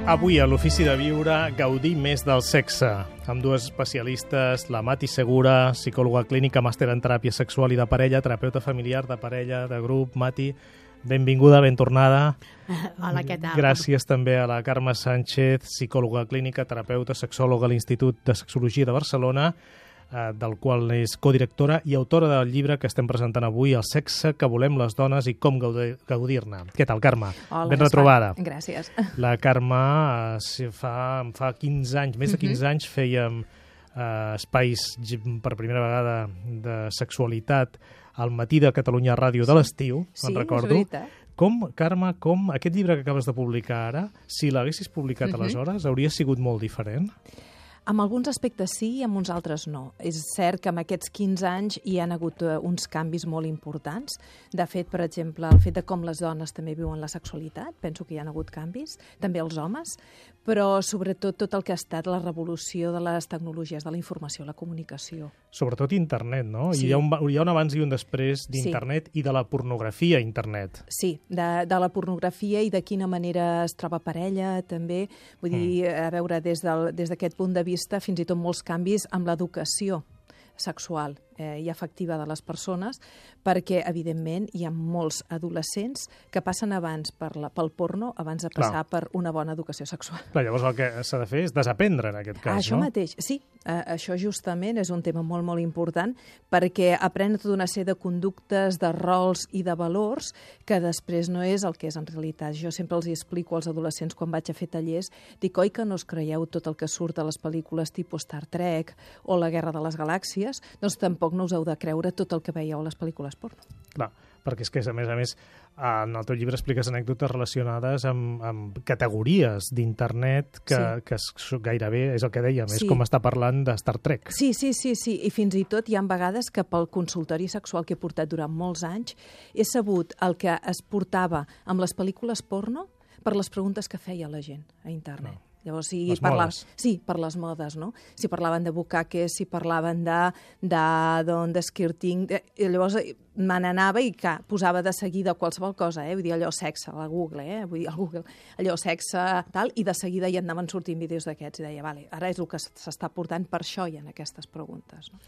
Avui a l'Ofici de Viure gaudir més del sexe, amb dues especialistes, la Mati Segura, psicòloga clínica, màster en teràpia sexual i de parella, terapeuta familiar, de parella, de grup. Mati, benvinguda, ben tornada. Hola, què tal? Gràcies també a la Carme Sánchez, psicòloga clínica, terapeuta, sexòloga a l'Institut de Sexologia de Barcelona, del qual és codirectora i autora del llibre que estem presentant avui, El sexe que volem les dones i com gaudir-ne. Què tal, Carme? Hola, ben retrobada. Gràcies. La Carme fa 15 anys, més de 15 anys, fèiem espais per primera vegada de sexualitat al matí de Catalunya Ràdio de l'estiu, me'n recordo. Sí, és veritat. Carme, aquest llibre que acabes de publicar ara, si l'haguessis publicat aleshores, hauria sigut molt diferent? En alguns aspectes sí i en uns altres no. És cert que en aquests 15 anys hi han hagut uns canvis molt importants. De fet, per exemple, el fet de com les dones també viuen la sexualitat, penso que hi ha hagut canvis, també els homes, però sobretot tot el que ha estat la revolució de les tecnologies de la informació, la comunicació. Sobretot internet, no? Sí. Hi ha un abans i un després d'internet i de la pornografia a internet. Sí, de la pornografia i de quina manera es troba parella, també. Vull dir, a veure, des d'aquest punt de vista, fins i tot molts canvis amb l'educació sexual i afectiva de les persones, perquè, evidentment, hi ha molts adolescents que passen abans pel porno abans de passar per una bona educació sexual. Clar, llavors el que s'ha de fer és desaprendre, en aquest cas, Això mateix, sí. Això justament és un tema molt, molt important, perquè aprenen tota una sèrie de conductes, de rols i de valors que després no és el que és en realitat. Jo sempre els explico als adolescents quan vaig a fer tallers, dic, oi que no us creieu tot el que surt a les pel·lícules tipus Star Trek o La Guerra de les Galàxies? Doncs tampoc no us heu de creure tot el que veieu a les pel·lícules porno. Clar, perquè és que, a més, en el teu llibre expliques anècdotes relacionades amb categories d'internet que gairebé és el que dèiem, és com estar parlant de Star Trek. Sí, i fins i tot hi ha vegades que pel consultori sexual que he portat durant molts anys he sabut el que es portava amb les pel·lícules porno per les preguntes que feia la gent a internet. No. Llavors, per les modes, no? Si parlaven de bucaques, si parlaven de skirting, llavors me n'anava i posava de seguida qualsevol cosa, vull dir, allò sexe, a Google, vull dir, al Google, allò sexe, tal, i de seguida ja anaven sortint vídeos d'aquests i deia, vale, ara és el que s'està portant, per això hi ha aquestes preguntes, no?